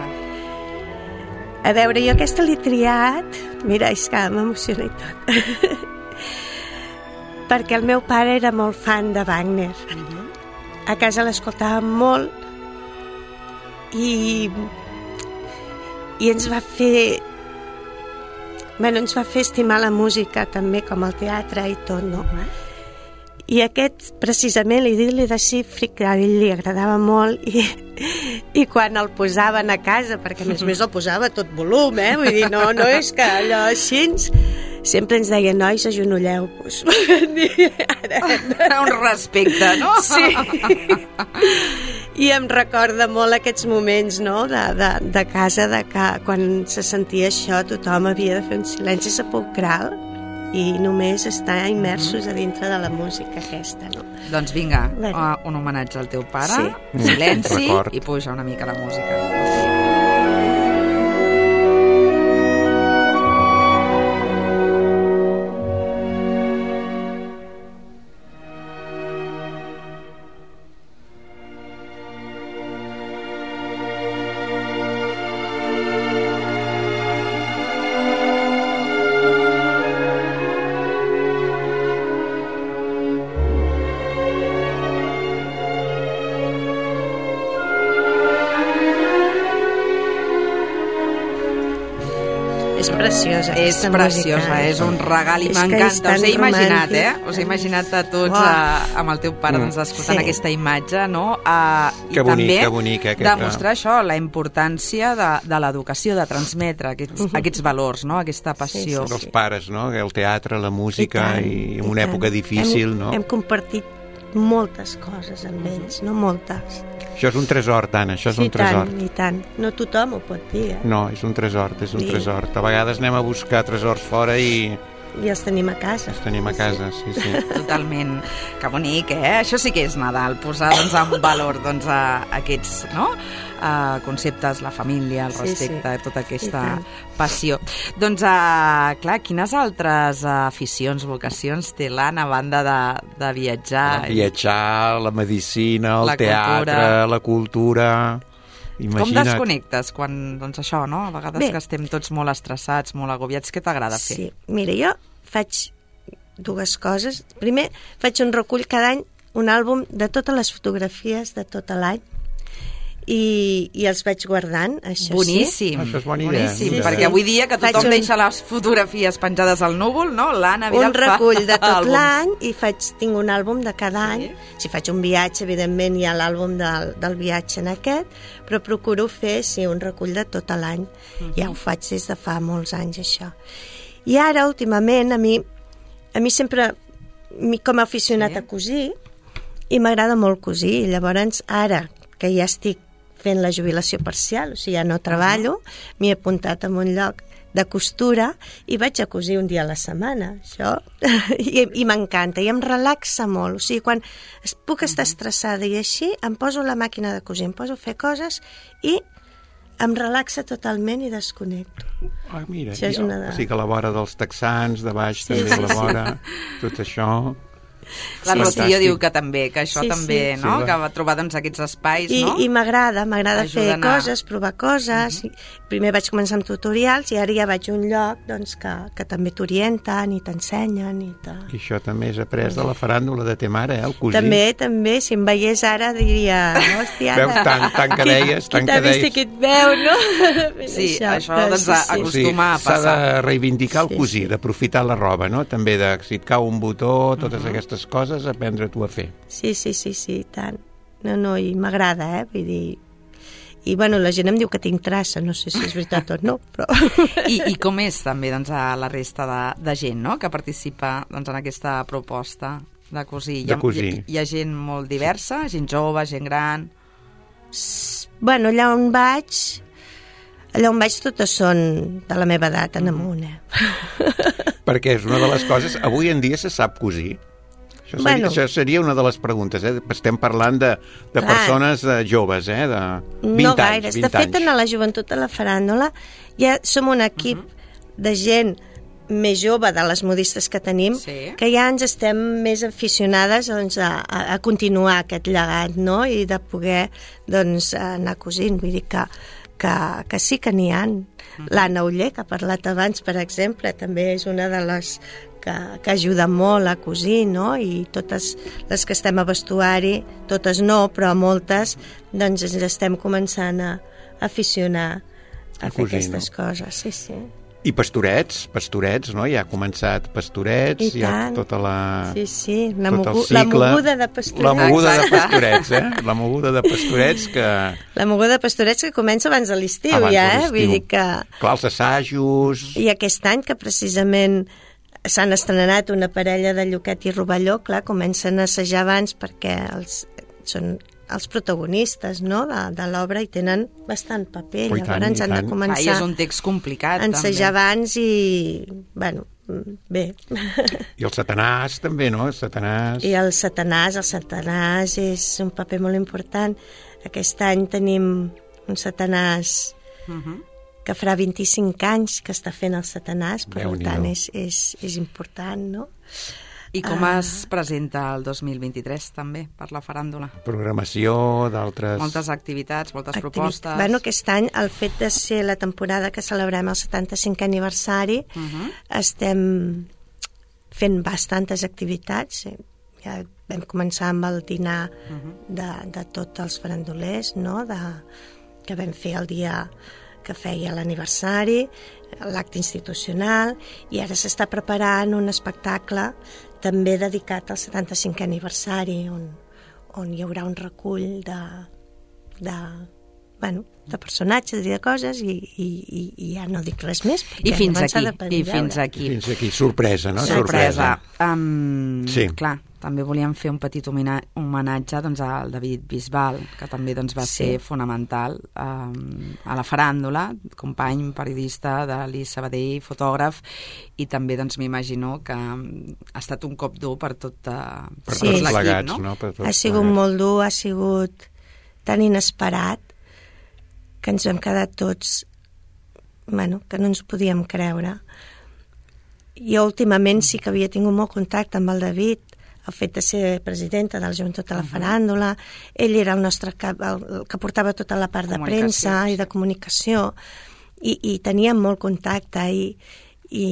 A veure, jo aquesta l'he triat... Mira, és que m'emociona i tot. Perquè el meu pare era molt fan de Wagner. A casa l'escoltàvem molt i... i ens va fer... Bueno, ens va fer estimar la música també, com el teatre i tot, no? I aquest, precisament, l'idil·li de Siegfried, que a ell li agradava molt, i, i quan el posaven a casa, perquè a més a més el posava a tot volum, eh? Vull dir, no, no és que allò així, sempre ens deia, nois, agenolleu-vos. Un respecte, no? Sí. I em recorda molt aquests moments, no?, de, de, de casa, de que quan se sentia això tothom havia de fer un silenci sepulcral i només estar immersos a dintre de la música aquesta, no? Doncs vinga, Bé. un homenatge al teu pare, Sí. silenci Record. i puja una mica la música. És preciosa. És aquesta preciosa, música. és un regal i És que és m'encanta. tan Us he imaginat, romàntic. eh? Us he imaginat a tots Uau. uh, amb el teu pare doncs, escoltant Sí. aquesta imatge, no? Uh, Que I bonic, també que bonic, eh, aquesta- demostrar això, la importància de, de l'educació, de transmetre aquests, aquests valors, no? Aquesta passió. Sí, dels pares, no? El teatre, la música I tant, i, en i una tant. època difícil, hem, no? Hem compartit moltes coses amb ells, no moltes. Això és un tresor, Tana, això és Sí, un tresor. tant, i tant. No tothom ho pot dir, eh? No, és un tresor, és un Sí. tresor. A vegades anem a buscar tresors fora i I els tenim a casa. els tenim a casa, sí, sí. Totalment. Que bonic, eh? Això sí que és Nadal, posar doncs, en valor doncs, a, aquests no? a conceptes, la família, el Sí, respecte, sí. tota I aquesta tant. passió. Doncs, uh, clar, quines altres uh, aficions, vocacions té l'Anna a banda de, de viatjar? Viatjar, la medicina, el La teatre, cultura. la cultura... Com Imagina't. desconnectes quan, doncs això, no? A vegades Bé. que estem tots molt estressats, molt agobiats, què t'agrada fer? Sí, mira, jo faig dues coses. Primer, faig un recull cada any, un àlbum de totes les fotografies de tot l'any i, i els vaig guardant, això Boníssim, Això és bona idea. boníssim, Sí, sí. perquè avui dia que Faig tothom un- deixa les fotografies penjades al núvol, no? L'Anna sí. Vidal Un recull de tot àlbums. l'any i faig, tinc un àlbum de cada Sí. any. Si faig un viatge, evidentment hi ha l'àlbum del, del viatge en aquest, però procuro fer, sí, un recull de tot l'any. Mhm. Ja ho faig des de fa molts anys, això. I ara, últimament, a mi, a mi sempre, mi, com a aficionat Sí. a cosir, i m'agrada molt cosir, i llavors ara que ja estic fent la jubilació parcial, o sigui, ja no treballo, m'he apuntat en un lloc de costura i vaig a cosir un dia a la setmana, això, i, i m'encanta, i em relaxa molt, o sigui, quan es, puc estar estressada i així, em poso a la màquina de cosir, em poso a fer coses i em relaxa totalment i desconnecto. Ah, mira, Això és ja, una de- o sigui que a la vora dels texans, de baix Sí, també sí, a la sí. vora, tot això... La Sí, Rocío fantàstic. diu que també, que això Sí, també, sí. no? Sí, que va. va trobar doncs, aquests espais, I, no? i m'agrada, m'agrada fer Ajuden a- coses, provar coses. Uh-huh. Primer vaig començar amb tutorials i ara ja vaig a un lloc doncs, que, que també t'orienten i t'ensenyen. I te... I això també és après de la faràndula de te mare, eh, el cosí. També, també, si em veiés ara diria... Hòstia, Veus, tant- tant que deies, tant que Qui t'ha vist i deies. qui et veu, no? Sí, això, però doncs, sí, sí. acostuma a S'ha passar. de reivindicar el Sí, cosir, sí. d'aprofitar la roba, no? També de, si et cau un botó, totes aquestes coses, aprendre tu a fer. Sí, sí, sí, sí, i tant. No, no, i m'agrada, eh? Vull dir... I, bueno, la gent em diu que tinc traça, no sé si és veritat o no, però... I, I com és també doncs, a la resta de, de gent, no?, que participa doncs, en aquesta proposta de cosir. De Hi ha, cosir. Hi, hi ha gent molt diversa, gent jove, gent gran... Bueno, allà on vaig... Allà on vaig totes són de la meva edat, en amunt, eh? Perquè és una de les coses... Avui en dia se sap cosir? Això seria, Bueno. això seria una de les preguntes, eh? Estem parlant de, de Clar. persones eh, joves, eh? De vint No anys, gaires. vint De fet, anys. en la joventut de la faràndula ja som un equip uh -huh. de gent més jove de les modistes que tenim, Sí. que ja ens estem més aficionades doncs, a, a, a continuar aquest llegat, no?, i de poder doncs, anar cosint. Vull dir que, que, que sí que n'hi ha. L'Anna Uller, que ha parlat abans, per exemple, també és una de les que, que ajuda molt a cosir, no?, i totes les que estem a vestuari, totes no, però moltes, doncs ens estem començant a aficionar a, A fer cosir, aquestes no? coses, sí, sí. I pastorets, pastorets, no? Ja ha començat pastorets, I ja tant. tota la... Sí, sí, la, tot el mogu la cicle. moguda de pastorets. La moguda de Exacte. pastorets, eh? La moguda de pastorets que... La moguda de pastorets que comença abans de l'estiu, Abans ja, de eh? l'estiu. Vull dir que... Clar, els assajos... I aquest any, que precisament s'han estrenat una parella de Lloquet i Rovelló, clar, comencen a assajar abans perquè els, són els protagonistes, no?, de, de l'obra i tenen bastant paper. Oh, tant, llavors han de començar ah, és un text complicat, a ensejar també. abans i, bueno, bé. I el Satanàs també, no? El Satanàs... I el Satanàs, el Satanàs és un paper molt important. Aquest any tenim un Satanàs uh-huh. que farà vint-i-cinc anys que està fent el Satanàs, per tant és, és, és important, no? I com uh, es presenta el dos mil vint-i-tres també per la faràndula? Programació d'altres... Moltes activitats, moltes Activi... propostes... Bueno, aquest any, el fet de ser la temporada que celebrem el setanta-cinquè aniversari, uh-huh. estem fent bastantes activitats. Ja vam començar amb el dinar uh-huh. de, de tots els farandolers, no?, de, que vam fer el dia que feia l'aniversari, l'acte institucional, i ara s'està preparant un espectacle també dedicat al setanta-cinquè aniversari, on, on hi haurà un recull de, de, bueno, de personatges i de coses, i, i, i, i ja no dic res més. I fins aquí, i fins aquí. I fins aquí, sorpresa, no? Sorpresa. Um, sí. Clar, també volíem fer un petit homenatge doncs, al David Bisbal, que també doncs, va sí. ser fonamental um, a la faràndula, company periodista de l'I Sabadell, fotògraf, i també doncs, m'imagino que ha estat un cop dur per tot, uh, per sí. tot l'equip, no? no? Per tot ha sigut plegats. molt dur, ha sigut tan inesperat que ens vam quedar tots, bueno, que no ens ho podíem creure. Jo últimament sí que havia tingut molt contacte amb el David, el fet de ser presidenta de la Joventut de la Faràndula, ell era el nostre cap, el, el que portava tota la part de premsa i de comunicació, i, i teníem molt contacte, i, i,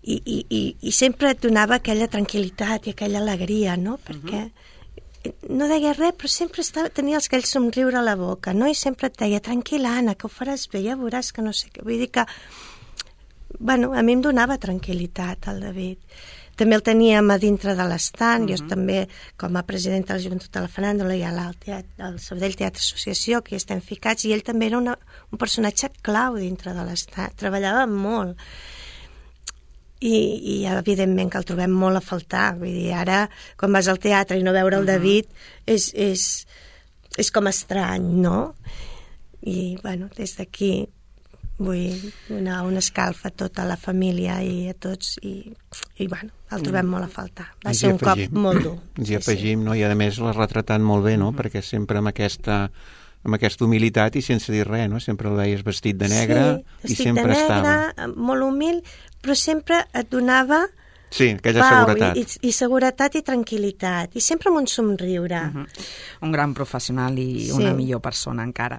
i, i, i, i sempre et donava aquella tranquil·litat i aquella alegria, no?, perquè no deia res, però sempre estava, tenia aquell somriure a la boca, no?, i sempre et deia, tranquil·la, Anna, que ho faràs bé, ja veuràs que no sé què. Vull dir que, bueno, a mi em donava tranquil·litat el David. També el teníem a dintre de l'estant, uh-huh. jo també, com a presidenta de la Joventut de la Faràndula, hi ha el Sabadell Teatre Associació, que hi estem ficats, i ell també era una, un personatge clau dintre de l'estat, treballava molt. I, i evidentment que el trobem molt a faltar. Vull dir, ara, quan vas al teatre i no veure el uh-huh. David, és, és, és com estrany, no? I, bueno, des d'aquí vull donar una escalfa a tota la família i a tots, i, i bueno, el trobem mm. molt a faltar. Va ser un cop molt dur. Ens hi afegim, sí, sí. no? I a més l'ha retratat molt bé, no? Mm. Perquè sempre amb aquesta, amb aquesta humilitat i sense dir res, no? Sempre el veies vestit de negre sí, i sempre de negre, estava. Molt humil, però sempre et donava sí, aquella pau seguretat. I, i, i seguretat i tranquil·litat, i sempre amb un somriure. Uh-huh. Un gran professional i sí. una millor persona encara.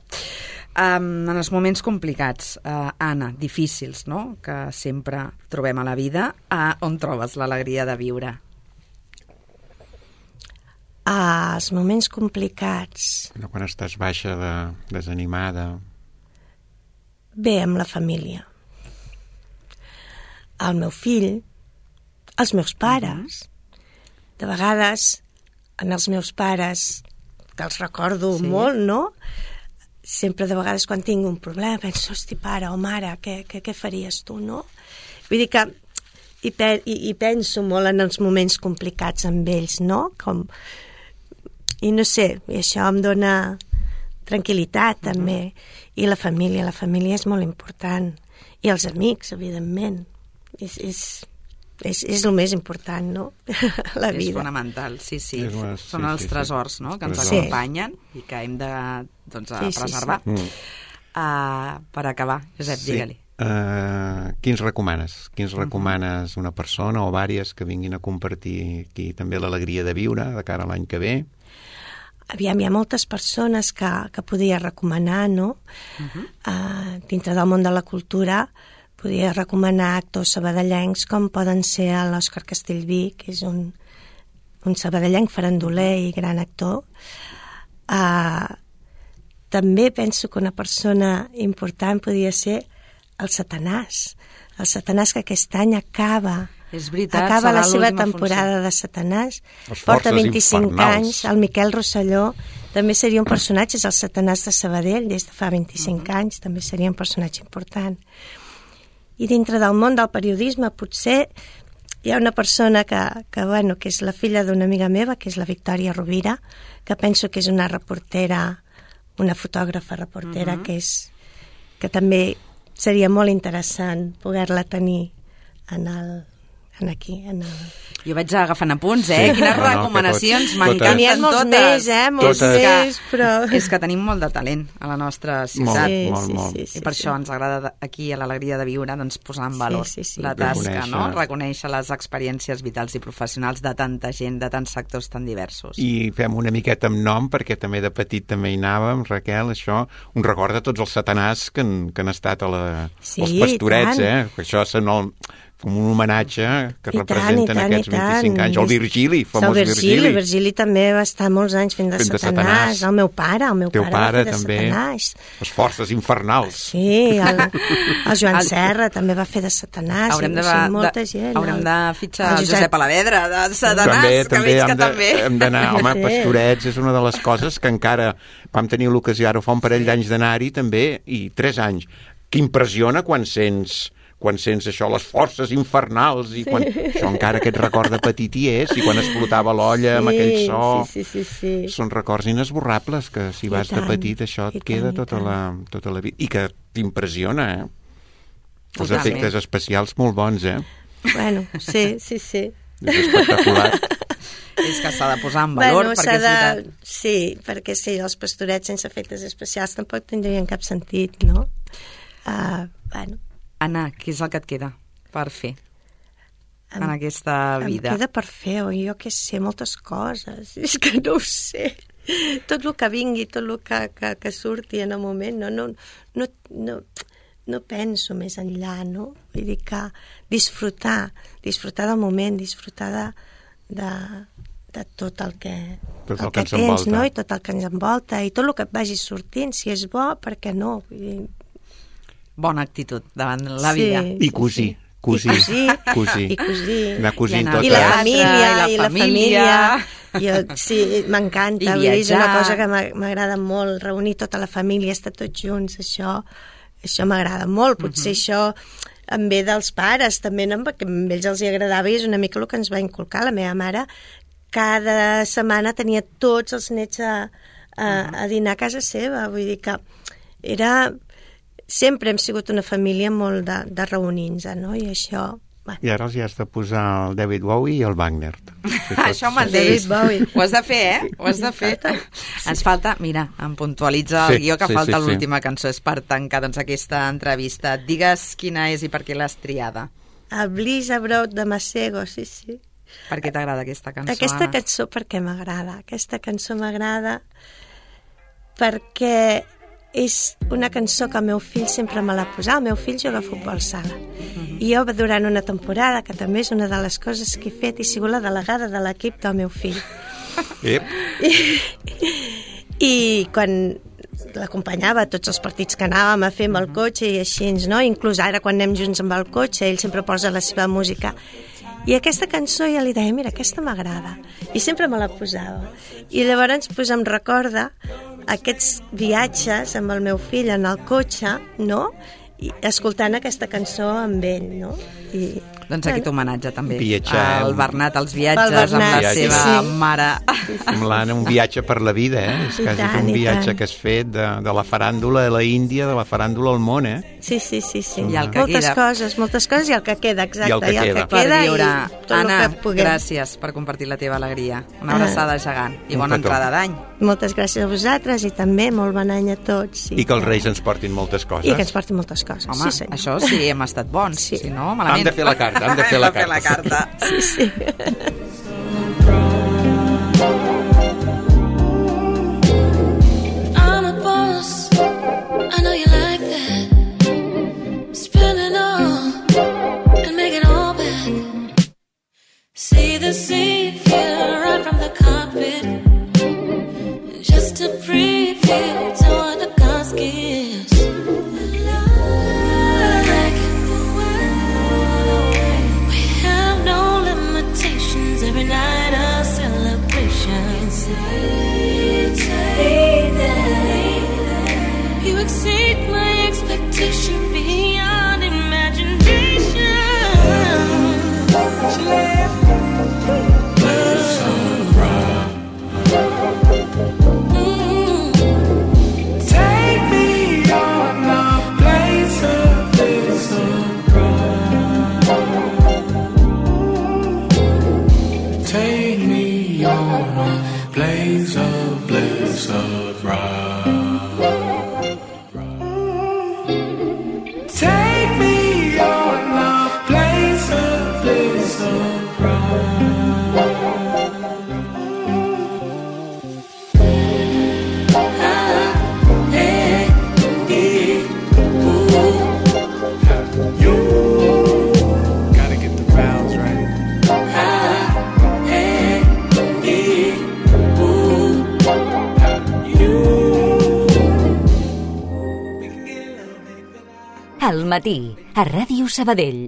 Um, en els moments complicats, uh, Anna, difícils, no?, que sempre trobem a la vida, uh, on trobes l'alegria de viure? Ah, els moments complicats... No, quan estàs baixa, de, desanimada... Bé, amb la família. El meu fill, els meus pares. Uh-huh. De vegades, en els meus pares, que els recordo sí. molt, no?, sempre de vegades quan tinc un problema penso, hosti, pare o mare, què, què, què faries tu, no? Vull dir que i, pe i, i penso molt en els moments complicats amb ells, no? Com... I no sé, i això em dona tranquil·litat també. Uh-huh. I la família, la família és molt important. I els amics, evidentment. És, és, és, és el més important, no? La vida. És fonamental, sí, sí. És una, Són sí, els sí, tresors, no?, que ens sí. acompanyen i que hem de doncs, a sí, sí, preservar. sí. Mm. Uh, per acabar, Josep, sí. digue-li. Uh, quins recomanes? Quins recomanes una persona o vàries que vinguin a compartir aquí també l'alegria de viure de cara a l'any que ve? Aviam, hi ha moltes persones que, que podia recomanar, no? Uh-huh. uh, dintre del món de la cultura podia recomanar actors sabadellencs com poden ser l'Òscar Castellví, que és un, un sabadellenc farandoler i gran actor. Uh, també penso que una persona important podia ser el Satanàs. El Satanàs que aquest any acaba, és veritat, acaba la seva temporada funció. de Satanàs. Porta vint-i-cinc infernals. anys. El Miquel Rosselló també seria un personatge, és el Satanàs de Sabadell, des de fa vint-i-cinc uh-huh. anys, també seria un personatge important. I dintre del món del periodisme potser hi ha una persona que, que, bueno, que és la filla d'una amiga meva, que és la Victòria Rovira, que penso que és una reportera, una fotògrafa reportera, uh-huh. que, és, que també seria molt interessant poder-la tenir en el, en aquí, en el... Jo vaig agafant apunts, eh? Sí, Quines no, no, recomanacions, totes, m'encanten N'hi ha molts totes. més, eh? Molts Totes. més, però... És que tenim molt de talent a la nostra ciutat. Sí, molt, sí, molt. sí, I sí, per sí. això ens agrada aquí, a l'Alegria de Viure, doncs, posar en valor Sí, sí, sí. la tasca, Reconèixer. no? Reconèixer les experiències vitals i professionals de tanta gent, de tants sectors tan diversos. I fem una miqueta amb nom, perquè també de petit també hi anàvem, Raquel, això, un record de tots els satanàs que han, que han estat a la, Sí, als pastorets, i tant. eh? Que això són el, com un homenatge que I representen tant, i tant, aquests i tant. vint-i-cinc anys. El Virgili, famós el Virgili. Virgili. Virgili també va estar molts anys fent de, Fent de satanàs. Satanàs. El meu pare, el meu Teu pare, pare va fer de també. satanàs. Les forces infernals. Sí, el, el Joan Serra també va fer de satanàs. Haurem de, o sigui, molta de, gent. haurem el, de fitxar el el Josep Alavedra, de Satanàs, també, que també veig hem que de, també. hem d'anar, home, Sí. Pastorets és una de les coses que encara vam tenir l'ocasió ara fa un parell d'anys d'anar-hi també, i tres anys, que impressiona quan sents quan sents això, les forces infernals, i quan... això encara aquest record de petit hi és, i quan explotava l'olla amb aquell so... Sí, sí, sí, sí. Són records inesborrables, que si I vas tant, de petit això et i queda tant, i tota tant. la, tota la vida. I que t'impressiona, eh? Els Totalment. efectes especials molt bons, eh? Bueno, sí, sí, sí. És espectacular. És que s'ha de posar en valor, bueno, perquè s'ha és de... veritat. Sí, perquè sí, els pastorets sense efectes especials tampoc tindrien cap sentit, no? Uh, bueno, Anna, què és el que et queda per fer Em- en aquesta vida? Em queda per fer, o jo què sé, moltes coses. És que no ho sé. Tot el que vingui, tot el que, que, que surti en el moment, no, no, no, no, no penso més enllà, no? Vull dir que disfrutar, disfrutar del moment, disfrutar de, de, de tot el que, Tot el el que que ens tens, envolta. no? I tot el que ens envolta, i tot el que et vagi sortint, si és bo, per què no? Vull dir, Bona actitud davant la Sí. vida. I cosir. Cosir. I cosir. Cosir. I cosir. Anar cosint I anar- tot. I la Teatre, família, i la i la família. família. Jo, sí, m'encanta. I Vull dir, és una viatjar. cosa que m'a- m'agrada molt, reunir tota la família, estar tots junts, això, això m'agrada molt. Potser això em ve dels pares, també, no? Perquè a ells els hi agradava i és una mica el que ens va inculcar. La meva mare cada setmana tenia tots els nets a, a, a dinar a casa seva. Vull dir que era... Sempre hem sigut una família molt de, de reunir-nos, no? I això... Bueno. I ara els hi has de posar el David Bowie i el Wagner. Això mateix. David Bowie. Ho has de fer, eh? Ho has de fer. Ens falta, mira, em puntualitza el Sí, guió que sí, falta sí, sí. l'última cançó. És per tancar doncs, aquesta entrevista. Digues quina és i per què l'has triada. A Bliss Abroad de Masego, sí, sí. Per què t'agrada aquesta cançó, Aquesta Anna? cançó perquè m'agrada. Aquesta cançó m'agrada perquè és una cançó que el meu fill sempre me l'ha posat. El meu fill juga a futbol sala. Uh-huh. I jo, durant una temporada, que també és una de les coses que he fet, he sigut la delegada de l'equip del meu fill. Ep. I, i quan l'acompanyava a tots els partits que anàvem a fer amb el cotxe i així, no? Inclús ara, quan anem junts amb el cotxe, ell sempre posa la seva música. I aquesta cançó ja li deia, mira, aquesta m'agrada. I sempre me la posava. I llavors pues, em recorda aquests viatges amb el meu fill en el cotxe, no? I escoltant aquesta cançó amb ell, no? I, Doncs aquest homenatge també Viatjar. al Bernat, als viatges, Pel amb la Bernat, sí, seva sí. mare. Amb l'Anna, un viatge per la vida, eh? És I quasi tant, un i viatge tant. que has fet de, de la faràndula a la Índia, de la faràndula al món, eh? Sí, sí, sí, sí. I el que moltes queda. coses, moltes coses i el que queda, exacte. I el que queda. Per queda viure. i tot Anna, el que puguem. gràcies per compartir la teva alegria. Una abraçada gegant i Un bona petó. entrada d'any. Moltes gràcies a vosaltres i també molt bon any a tots. I que els Reis ens portin moltes coses. I que ens portin moltes coses. Home, sí, senyor. això sí, hem estat bons. Sí. Si no, malament. Hem de fer la carta, hem de fer la Hem de fer la carta. Sí, sí. I'm a boss. I know you like that. Spend it all and make it all back. See the sea view right from the carpet. Just a preview to what the gods gives. Like we have no limitations. Every night a celebration. You exceed my expectation beyond imagination. Al matí, a Ràdio Sabadell.